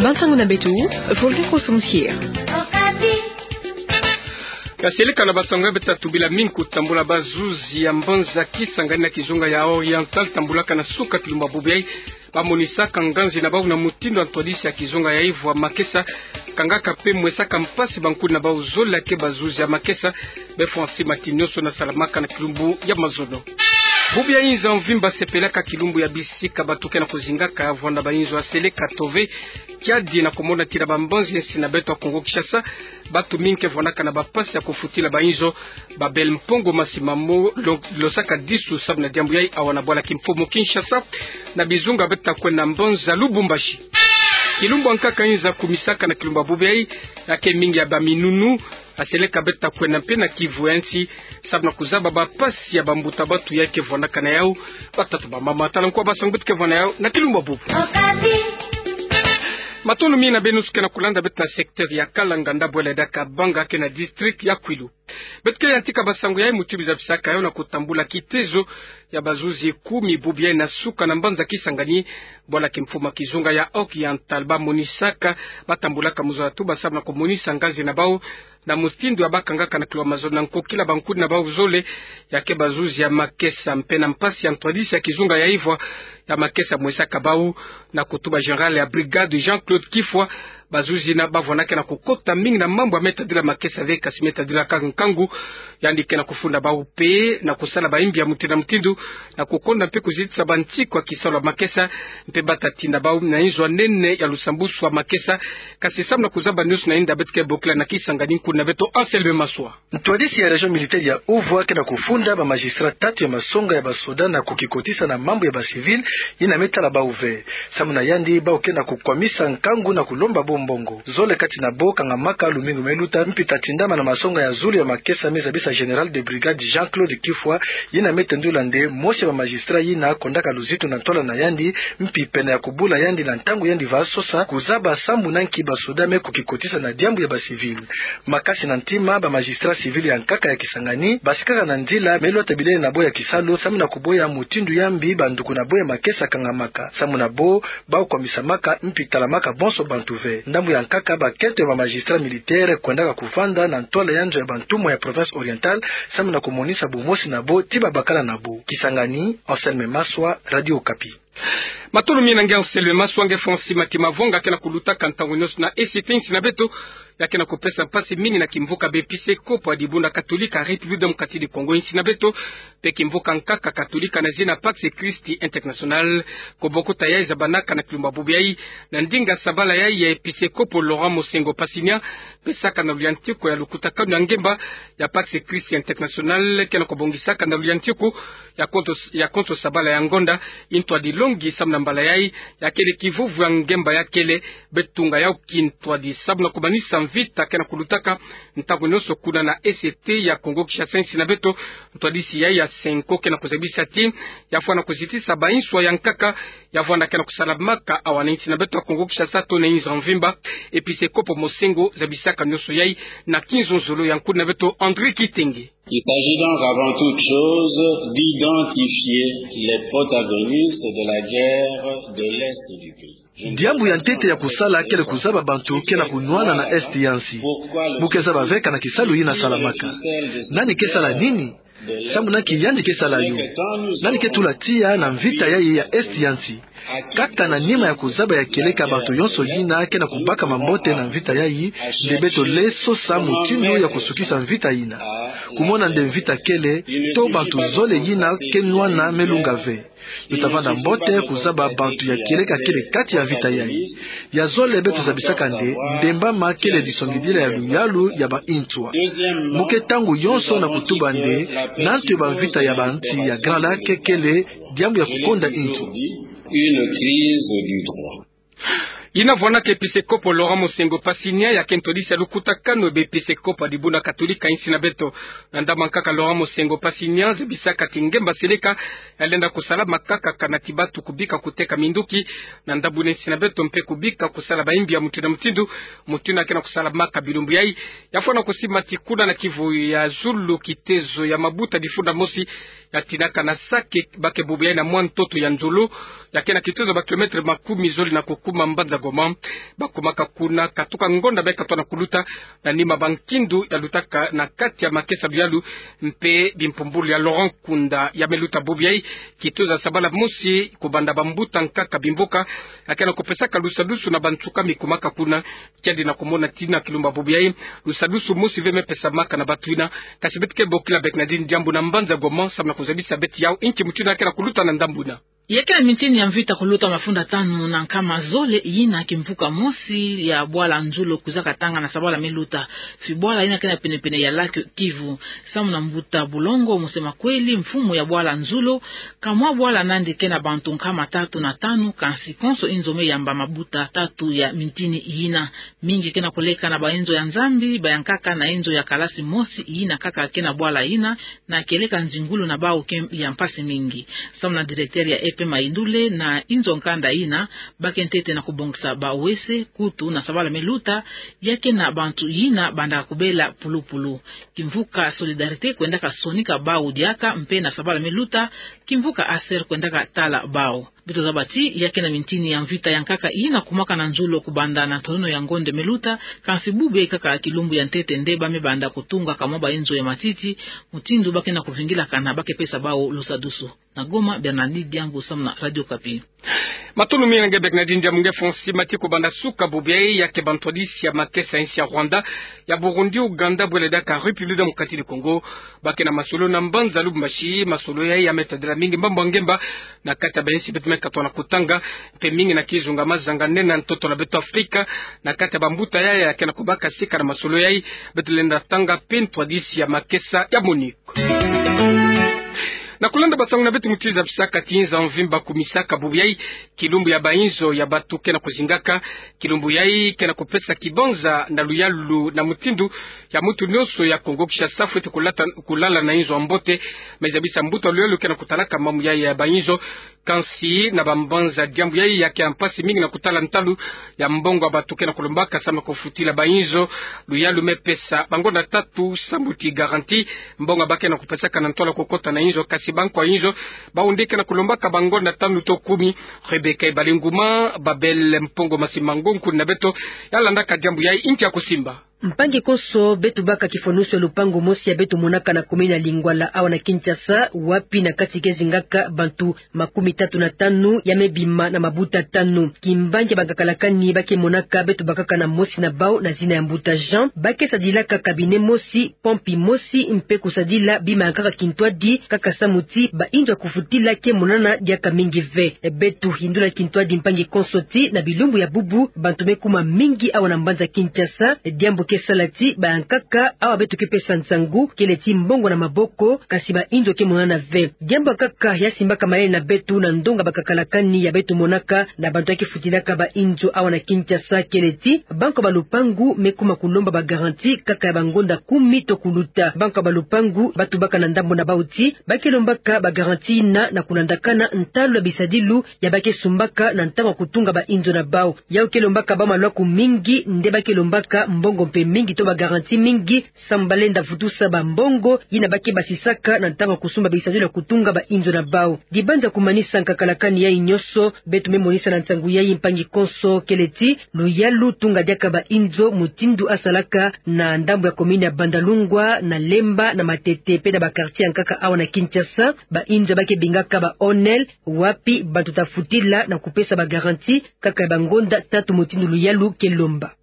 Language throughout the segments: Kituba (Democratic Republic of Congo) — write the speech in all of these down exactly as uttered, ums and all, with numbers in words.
Bansango na beto, Voltaire Constantier. Kaseleka na bansango ya beto, tumbila mingi kutambula bazuzi ya mbanza Kisangani na kizunga ya Oriental, tambulaka na suka kilumbu bubu yai. Bamonisaka nganzi na bau na mutindu ya ntwadisi ya kizunga ya ivo ya makesa, kangaka mpe mwesaka mpasi bankuni na bau zole ya ke bazuzi ya makesa, befwa nsi matini nyonso na salamaka na kilumbu ya mazono. Bubu ya inza mvimba sepelaka kilumbu ya bisika bato ke na kuzingaka, vwanda bainzo ya seleka to ve kiadi na kumona tina bambanzi ya nsi na beto ya Kongo Kinshasa, bato mingi ke vwandaka na bampasi ya kufutila bainzo. Babel Mpongo Masimamo lo-, losaka disu samu na diambu yai awa na bwala kimfumu Kinshasa, na bizunga beto ta kwenda mbanza Lubumbashi. Kilumbu ya nkaka inza kumisaka na kilumbu ya bubu yai, ya ke mingi ya baminunu, ya seleka beto ta kwenda mpe na kivu ya nsi, samu na kuzaba bampasi ya bambuta-bantu yai ke vwandaka na yau, batata bamama. Tala nkwa bansango beto ke vwanda na yau na kilumbu ya bubu. Matondo mingi na beno nyonso ke na kulanda beto na secteur ya Kalanganda, bwela daka Banga ke na district ya Kwilu. Beto ke yantika bansango yai muti bizabisaka yau na kutambula kitezo ya bazuzi kumi bubu yai na suka na mbanza Kisangani, bwala kimfumu ya kizunga ya Oriental. Bamonisaka, batambulaka muzola tuba samu na kumonisa nganzi na bau na mutindu ya bakangaka na kilumbu ya mazono na nkokila bankuni na bau zole ya ke bazuzi ya makesa, mpe na mpasi ya ntwadisi ya kizunga ya ivo ya makesa mwesaka bau, na kutuba général ya brigade Jean-Claude Kifwa. Bazuzi yina bavwandaka na kukota mingi na mambu ya me tadila makesa ve, kasi me tadila kaka nkangu. Yandi ke na kufunda bau mpe na kusala baimbi ya mutindu na mutindu, na kukonda mpe kuzitisa bantiku ya kisalu ya makesa, mpe bata tina bau na inzo ya nene ya lusambusu ya makesa. Kasi samu na kuzaba nyonso na inda, beto ke bokila na Kisangani nkuni na beto Anselme Maswa. Ntwadisi ya région militaire ya Uvwa ke na kufunda bamagistrat tatu ya masonga ya basoda na kukikotisa na mambu ya bacivil yina me tala bau ve. Samu na yandi, bau ke na kukwamisa nkangu na kulomba bau mbongo. Zole kati na bau kangamaka lumingu me luta, mpi ta tindama na masonga ya zulu ya makesa me zabisa général de brigade Jean-Claude Kifwa, yina me tendula nde mosi ya bamagistrat yina kondaka luzitu na ntwala na yandi, mpi pene ya kubula yandi na ntangu yandi va sosa kuzaba sambu na nki basoda me kukikotisa na diambu ya bacivil. Makasi na ntima, bamagistrat civil ya nkaka ya Kisangani basikaka na nzila me lwata bilele na bau ya kisalu, samu na kuboya mutindu ya mbi banduku na bau ya makesa kangamaka. Samu na bau, bau kwamisamaka mpi talamaka bonso bantu ve. Ndambu ya nkaka, bakento ya bamagistrat militaire kwendaka kuvanda na ntwala ya nzo ya bantumwa ya province Oriental, samu na kumonisa bumosi na bau ti babakala na bau. Kisangani, Anselme Maswa, Radio Okapi. Matondo mingi na nge Anselme Maswa. Nge Francis Matima Vonga ke na kulutaka ntangu nyonso na E C T, nsi na beto ya ke na kupesa mpasi mingi na kimvuka b'episekopo ya dibundu katolika République démocratique du Congo, nsi na beto, mpe kimvuka nkaka katolika na zina Pax Christi International. Kubokuta yai zabanaka na kilumbu bubu yai, na ndinga sabala yai ya episekopo Laurent Mosengo Pasinia, pesaka na luyantiku ya lukutakanu ya ngemba ya Pax Christi International, ke na kubongisaka na luyantiku ya konso, ya konso sabala ya ngonda. Ntwadi longi samu na mbala yai, ya kele kivuvu ya ngemba ya kele, betunga yau kintwadi samu na kumanisa mvita ke na kulutaka ntangu nyonso kuna na E C T ya Kongo Kinshasa, nsi na beto. Ntwadisi yai ya Senko ke na kuzabisa ti ya fwana kuzitisa banswa ya nkaka ya vwanda ke na kusalamaka awa na nsi na beto ya Kongo Kinshasa to na inzo mvimba. Episekopo Mosengo zabisaka nyonso yai na kinzonzolo ya nkuni na beto André Kitenge. Il s'agit donc avant toute chose d'identifier les protagonistes de la guerre de l'Est du pays. Diambu ya ntete ya kusala kele kuzaba bantu ke na kunwana na Est ya nsi. Mu ke zaba ve kana kisalu yina salamaka. Nani ke sala nini? Samu na nki yandi ke sala yo? Nani ke tula tiya na mvita yai ya Est ya nsi? Kaka na nima ya kuzaba ya kieleka bantu yonso yina ke na kubaka mambote na mvita yai, nde beto lenda sosa mutindu ya kusukisa mvita yina. Kumona nde mvita kele, to bantu zole yina ke nwana me lunga ve. Yo tavanda mbote kuzaba bantu ya kieleka kele kati ya mvita yai. Ya zole beto zabisaka nde, ndemba ma kele disongidila ya luyalu ya ba inswa. Mu ke ntangu yonso na kutuba nde, na ntu ba mvita ya ba nsi ya Grand Lac kele diambu ya kukonda inswa. Une crise du droit. Yina vwanaka episekopo Laurent Mosengo Pasinia, ya ke ntwadisi ya lukutakanu b'episekopo ya dibundu katolika insi na beto. Na ndambu ya nkaka, Laurent Mosengo Pasinia zabisaka ti ngemba seleka ya lenda kusalamaka kaka na ti bantu kubika kuteka minduki na ndambu na insi na beto, mpe kubika kusala bayimbi ya mutindu na mutindu, mutindu ya ke na kusalamaka bilumbu yai. Ya fwana kusimba ti kuna na kivu ya zulu, kitezo ya mabuta difunda mosi ya tinaka na Sake, bake bubu yai na mwa ntoto ya nzolo, ya ke na kitezo ba kilomètre makumi zole na kukuma mbanza Goma, bakumaka kuna katuka ngonda beka tona kuluta, na nima ba nkindu ya lutaka na kati ya makesa luyalu mpe bimpumbulu ya Laurent Nkunda. Ya me luta bobo yayi, kituza sabala mosi kubanda bambuta nkaka bimboka, ya kena kupesaka lusadusu na bansuka mi kumaka kuna. Kiadi na kumona tina kilumbu bobo yayi, lusadusu mosi ve me pesamaka na batu yina. Kasi beto ke bokila Bernadine Diambu na mbanza Goma, samu na kuzabisa beto yawu inki mutu yina ya kena kuluta na ndambu yina. Ya kena mintini ya mvita kuluta mafunda tanu na nkama zole yina kimvuka mosi ya bwala Nzulo kwizaka tanga na sabala me luta. Fi bwala yina kena penepene ya lac Kivu. Samu na mbuta Bulongo Mosemakweli, mfumu ya bwala Nzulo, kamwa bwala nandi kena bantu nkama tatu na tanu, kansi konso inzo me yamba mabuta tatu ya mintini yina. Mingi kena koleka na bainzo ya Nzambi, bayankaka na inzo ya kalasi mosi yina kaka kena bwala yina, na kieleka nzingulu na bawu ke ya mpasi mingi. Samu na directeur ya E P Mayindule, na inzo nkanda yina, ba ke ntete na kubongisa bawese, kutu na sabala me luta, ya kena bantu yina bandaka kubela pulupulu. Kimvuka Solidarité kwendaka sonika bawu diaka, mpe na sabala me luta, kimvuka ASER kwendaka tala bawu. Beto zaba ti, ya kena mintini ya mvita ya nkaka yina kumwaka na Nzulo kubanda na ntonono ya ngonda me luta, kansi bube kaka kilumbu ya ntete nde ba me banda kutunga kamwa bainzo ya matiti, mutindu ba kena kuvingilaka na ba ke pesa bawu lusadusu. Na Goma, Bernadine Diambu samu na Radio Okapi. Matondo mingi na nge Bernadine Diambu. Nge Fonsi, mati kubanda suka bobo yayi, ya ke bantwadisi ya makesa ya insi ya Rwanda, ya Burundi, Ouganda, bwele diaka République démocratique du Congo, ba ke na masolo na mbanza Lubumbashi. Masolo yayi ya me tadila mingi mbambu ya ngemba na kati ya bainsi beto me katoka na kutanga, mpe mingi na kizunga mazanga nene na ntoto na beto Afrika. Na kati ya bambuta yayi ya kena kubaka sika na masolo yayi, beto lenda tanga mpe ntwadisi ya makesa ya MONUC. Na kulanda basangu na beto, mutindu zabisaka ti nza mvimba kumisaka bobo yayi, kilumbu ya bainzo ya batu kena kuzingaka. Kilumbu yayi kena kupesa kibanza na luyalu na mutindu ya mutu nyonso ya Kongo Kinshasa fwete kulata, kulala na inzo ya mbote. Me zabisa mbuta luyalu kena kutalaka mambu yayi ya bainzo. Kansi na bambanza diambu yayi ya ke ya mpasi mingi na kutala ntalu ya mbongo ya batu kena kulombaka samu na kufutila bainzo. Luyalu me pesa bangonda tatu samu ti garantie, mbongo ba kena kupesaka na ntwala kukota na inzo, kasi bankwa inzo bawu nde kena kulombaka bangonda tanu to kumi. Rebecca Ebalinguma, Babel Mpongo Masimango, nkuni na beto, ya landaka diambu yayi, inki ya kusimba. Mpangi konso, beto baka kifwanusu ya lupangu mosi ya beto monaka na commune ya Lingwala awa na Kinshasa, wapi na kati ke zingaka bantu makumi tatu na tanu, ya me bima na mabuta tanu. Kimbangi ya bangakalakani ba ke monaka, beto bakaka na mosi na bawu na zina ya mbuta Jean. Ba ke sadilaka cabinet mosi, pompe mosi, mpe kusadila bima ya nkaka kintwadi, kaka samu ti bainzo ya kufutila ke monana diaka mingi ve. Beto yindula kintwadi mpangi konso ti na bilumbu ya bubu, bantu me kuma mingi awa na mbanza Kinshasa, diambu ke sala ti bayankaka awa beto ke pesa nsangu, kele ti mbongo na maboko, kasi bainzo ke monana ve. Diambu ya nkaka ya simbaka mayele na beto na ndonga bangakalakani ya beto monaka na bantu ya ke futilaka bainzo awa na Kinshasa, kele ti bankwa ba lupangu me kuma kulomba ba garantie kaka ya bangonda kumi to kuluta. Bankwa ba lupangu ba tubaka na ndambu na bawu ti ba ke lombaka ba garantie yina na kulandakana ntalu ya bisadilu ya ba ke sumbaka na ntangu ya kutunga bainzo na bawu. Yawu ke lombaka bawu malwaku mingi, nde ba ke lombaka mbongo mpe mingi to ba garantie mingi, samu ba lenda vutusa bambongo yina ba ke basisaka na ntangu ya kusumba bisadilu ya kutunga bainzo na bawu. Dibanza kumanisa ngakalakani yayi nyonso, beto me monisa na nsangu yayi mpangi konso, kele ti luyalu tunga diaka bainzo mutindu ya salaka na ndambu ya commune ya Bandalungwa, na Lemba, na Matete, mpe na ba quartier ya nkaka awa na Kinshasa, bainzo ba ke bingaka ba O N L, wapi bantu ta futila na kupesa ba garantie kaka ya bangonda tatu mutindu luyalu ke lomba.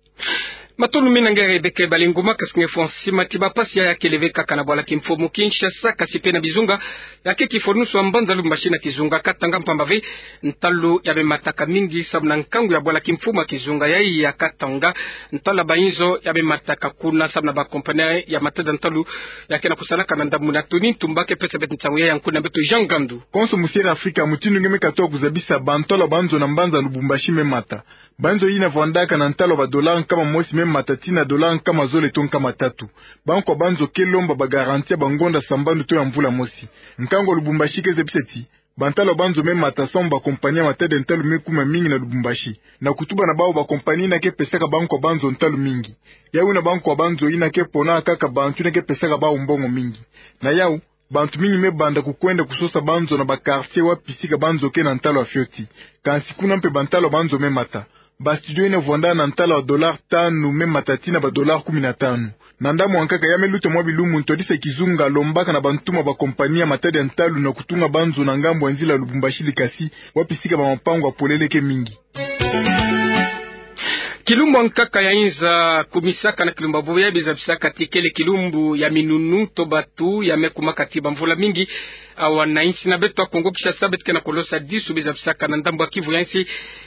Matondo mingi na nge Rebecca Ebalinguma. Kasi nge Fonsi, mati, bampasi yayi ya kele ve kaka na bwala kimfumu Kinshasa, kasi mpe na bizunga ya ke kifwanusu ya mbanza Lubumbashi na kizunga Katanga, mpamba ve ntalu ya me mataka mingi samu na nkangu ya bwala kimfumu ya kizunga yayi ya Katanga. Ntalu ya bainzo ya me mataka kuna samu na ba compagnie ya matada ntalu ya kena kusalaka na ndambu na Tony Ntumba ke pesa beto nsangu yayi. Nkuni na beto Jean Ngandu. Konso musiere Afrika, mutindu nge me katoka kuzabisa, bantalu ya banzo na mbanza Lubumbashi me mata. Banzo yina vandaka na ntalu ya ba dollar nkama mosi me mata tii na dollar nkama zole to nkama tatu. Bankwa banzo ke lomba ba garantie ya bangonda sambanu to ya mvula mosi. Nkangu ya Lubumbashi ke zabisa ti bantalu ya banzo me mata samu ba compagnie ya matada ntalu me kuma mingi na Lubumbashi. Na kutuba na bawu, ba compagnie yina ke pesaka bankwa banzo ntalu mingi. Yawu yina bankwa banzo yina ke pona kaka bantu yina ke pesaka bawu mbongo mingi. Na yawu, bantu mingi me banda kukwenda kusosa banzo na ba quartier wapi sika banzo ke na ntalu ya fioti. Kansi kuna mpe bantalu ya banzo me mata. Ba studio yina vwanda na ntala wa dollar tanu me matati na ba dollar kumi na tanu. Na ndambu wa nkaka ya me luta mwa bilumbu, ntwadisi ya kizunga alombaka na bantuma ba kompani ya matadi ya ntalu na kutunga banzo na ngambu ya nzila Lubumbashi-Likasi, wapi sika ba mapangu ya polele ke mingi. Kilumbu ya nkaka ya inza kumisaka na kilumbu ya bubu ya bizabisaka ti kele kilumbu ya minunu to batu ya me kumaka ti bamvula mingi awa na insi na beto ya Kongo Kinshasa, beto ke na kolosa disu bizabisaka na ndambu ya Kivu ya nsi.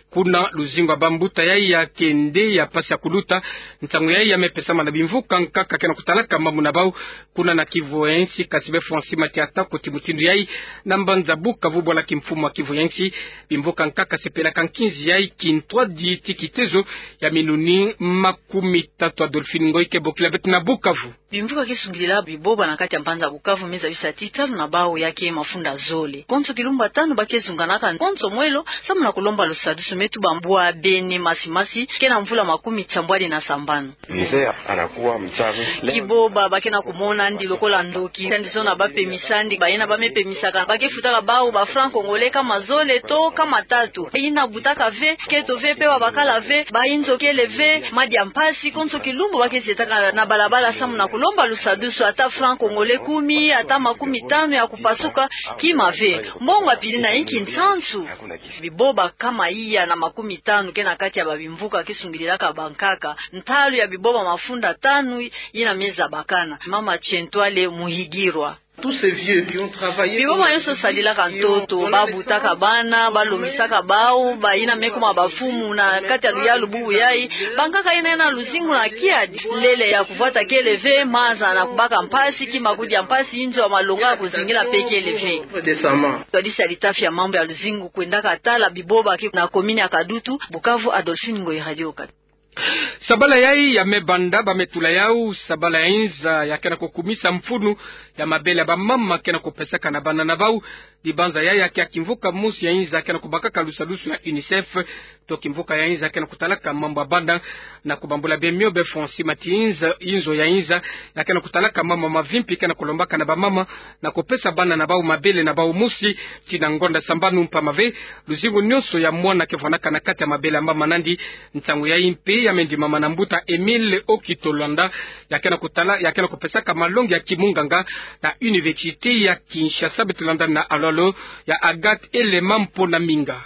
Kuna luzingu ya bambuta yayi ya kende ya pasi ya kuluta. Nsangu yayi ya me pesama na bimvuka nkaka ke na kutalaka mambu na bau kuna na Kivu ya nsi, kasi be Francis Matiata koti mutindu yayi na mbanza Bukavu, bwala kimfumu ya Kivu ya nsi. Bimvuka nkaka sepelaka nkinzi yayi kintwadi ti kitezo ya minuni makumitatu. Adolphine Ngoy ke bokila beto na Bukavu. Bimvuka ke sungidila biboba na kati ya mbanza Bukavu me zabisa ti ntalu na bau ya ke mafunda zole. Konso kilumbu ya tanu ba ke zunganaka konso mwelo samu na kulomba lusadusu, me tuba mbwabene masi masi ke na mvula makumi nsambwadi na sambanu. Misère anakuwa mtamu. Kiboba ba ke na kumona yandi lokola ndoki, yandi zona ba pemisa yandi, bayina ba me pemisaka ba ke futaka bau ba francs congolais nkama zole to nkama tatu. Yina butaka ve, nketo ve, mpe wa bakala ve, ba inzo kele ve, madia mpasi. Konso kilumbu ba ke zietaka na balabala samu na kulomba lusadusu, ata francs congolais kumi, ata makumi tanu ya kupasuka, kima ve. Mbongo ya pili na inki nsansu. Biboba nkama iya na makumi tanu ke na kati ya babimvuka ke sungidilaka bankaka. Ntalu ya biboba mafunda tanu yina me zabakana. Mama Chentwale Muhigirwa. Tous ces vieux qui ont travaillé. Biboba nyonso sadilaka ntoto, ba butaka bana, ba lombisaka bau, bayina me kuma bamfumu na kati ya luyalu bubu yayi. Bankaka yina yena luzingu na kiadi. Lele ya kuvwata kele ve, maza na kubaka mpasi, kima kudia mpasi, inzo ya malonga ya kuzingila mpe kele ve. Décemment. Ntwadisi ya litafi ya mambu ya luzingu kwendaka tala biboba ke na commune ya Kadutu, Bukavu, Adolphine Ngoy, Radio Okapi. Sabala yayi ya me banda ba me tula yau sabala ya inza ya ke na kukumisa mfunu ya mabele ya bamama ke na kupesaka na bana na bau. Dibanza yayi ya ke ya kimvuka mosi ya inza ke na kubakaka lusadusu ya UNICEF, to kimvuka ya inza ke na kutalaka mambu ya bana. Na kubambula bemio be Francis Matiata, inzo ya inza ya ke na kutalaka mambu ya mavimpi ke na kulombaka na bamama na kupesa bana na bau mabele na bau mosi tii na ngonda sambanu, mpamba ve luzingu nyonso ya mwana ke vwanaka na kati ya mabele ya mama nandi. Nsangu yayi mpe ya me ndimama na mbuta Emile Okito Landa, ya ke na kutala, ya ke na kupesaka malongi ya kimunganga na Université ya Kinshasa. Beto landa na alolo ya Agathe Elema Mpona Minga.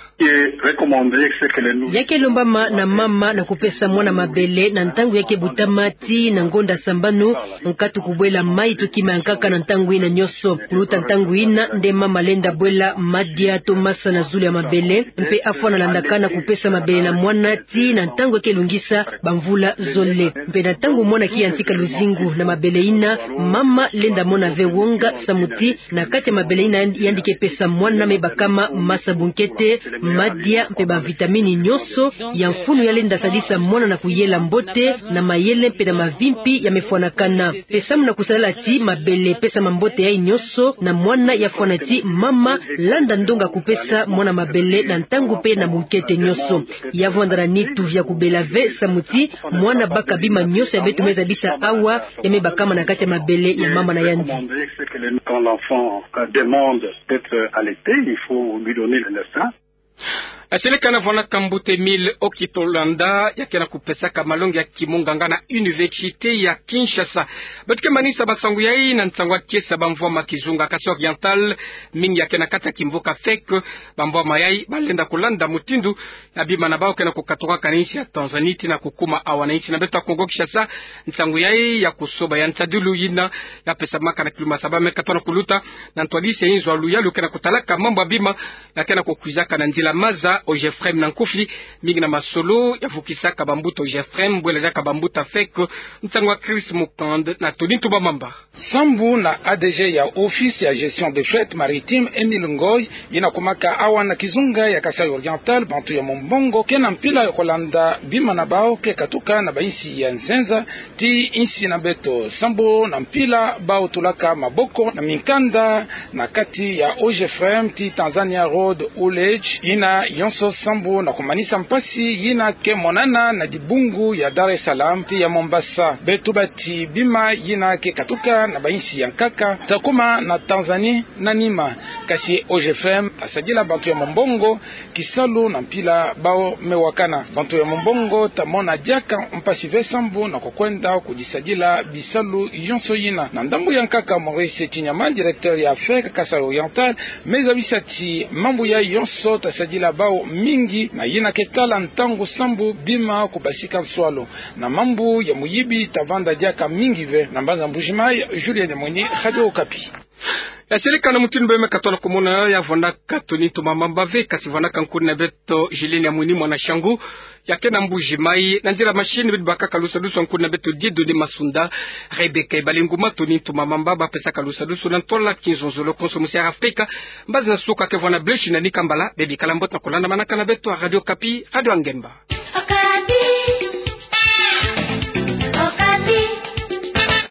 Ya ke lombama na mama na kupesa mwana mabele na ntangu ya ke butama tii na ngonda sambanu, nkatu kubwela mayi to kima ya nkaka na ntangu yina nyonso. Kuluta ntangu yina nde mama lenda bwela madia to masa na zulu ya mabele, mpe afwana landaka na kupesa mabele na mwana tii na ntangu ya ke lungisa bamvula zole. Mpe na ntangu mwana ke yantika luzingu na mabele yina, mama lenda mona ve wonga samu ti na kati ya mabele yina yandi ke pesa mwana me bakama masa, bunkete, madia mpe bavitamini nyonso ya mfunu ya lenda sadisa mwana na kuyela mbote na mayele mpe na mavimpi ya me fwanakana. Mpe samu na kusalala ti mabele pesama mbote yayi nyonso na mwana, ya fwana ti mama landa ndonga kupesa mwana mabele na ntangu mpe na bunkete nyonso. Ya vwanda na nitu ya kubela ve samu ti mwana baka bima nyonso ya beto me zabisa awa ya me bakama na kati ya mabele ya mama na yandi. Quand l'enfant, euh, demande d'être allaité, il faut lui donner le sein. Seleka na vwanaka mbuta Emile Okito Landa, ya ke na kupesaka malongi ya kimunganga na Université ya Kinshasa. Beto ke manisa bansangu yayi na nsangu ya kiese ya bamvwama kizunga Kasaï Oriental, mingi ya ke na kati ya kimvuka Feke. Bamvwama yayi ba lenda kulanda mutindu ya bima na bau ke na kukaturaka na insi ya Tanzanie tii na kukuma awa na insi na beto ya Kongo Kinshasa. Nsangu yayi ya kusoba ya nsadilu yina ya pesamaka na kilumbu ya saba me katona kuluta na ntwadisi ya inzo ya luyalu ke na kutalaka mambu ya bima ya ke na kukwizaka na nzila maza OGEFREM na nkufi, mingi na masolo ya vukisaka bambuta OGEFREM, bwela diaka bambuta Feke. Nsangu ya Chris Mukand na Tony Ntumba Mamba. Sambu na ADG ya Office ya Gestion des Fêtes Maritimes, Emile Ngoy, yina kumaka awa na kizunga ya Kasaï Oriental, bantu ya mumbongo ke na mpila ya kulanda bima na bau ke katuka na bainsi ya nzenza tii insi na beto. Sambu na mpila bau tulaka maboko na minkanda na kati ya OGEFREM tii Tanzania Road Haulage, yina yonso yonso sambu na kumanisa mpasi yina ke monana na dibungu ya Dar es Salaam ti ya Mombasa. Beto bati bima yina ke katuka na ba insi ya nkaka, ta kuma na Tanzanie na nima. Kasi O G F M ta sadila bantu ya mombongo kisalu na mpila bawu me wakana. Bantu ya mombongo ta mona diaka mpasi ve sambu na kukwenda kudisadila bisalu yonso yina. Na ndambu ya nkaka, Maurice Chinyama, directeur ya F E C Kasaï Oriental, me zabisa ti mambu yayi yonso ta sadila bawu mingi, na yina ke tala ntangu sambu bima kubasika nswalu. Na mambu ya muyibi ta vanda diaka mingi ve. Na mbanza Mbuji-Mayi, Julien Nyamwini, Radio Okapi. Ya seleka na mutindu bê me katona kumona, ya vwandaka Tony Ntumamamba ve, kasi vwandaka nkuna beto Julien Nyamwini mwana Shangu, ya ke na Mbuji-Mayi. Na nzila machine, beto bakaka lusadusu na nkuna beto Dieudonné Masunda. Rebecca Ebalinguma, Tony Ntumamamba bapesaka lusadusu na ntwala kinzonzolo konso musi Air Afrika. Mbazi nasuka ke vwanda Bleu Chine na Nikambala. Bebikala mbote na kulandamanaka na beto a Radio Okapi, Radio a Ngemba.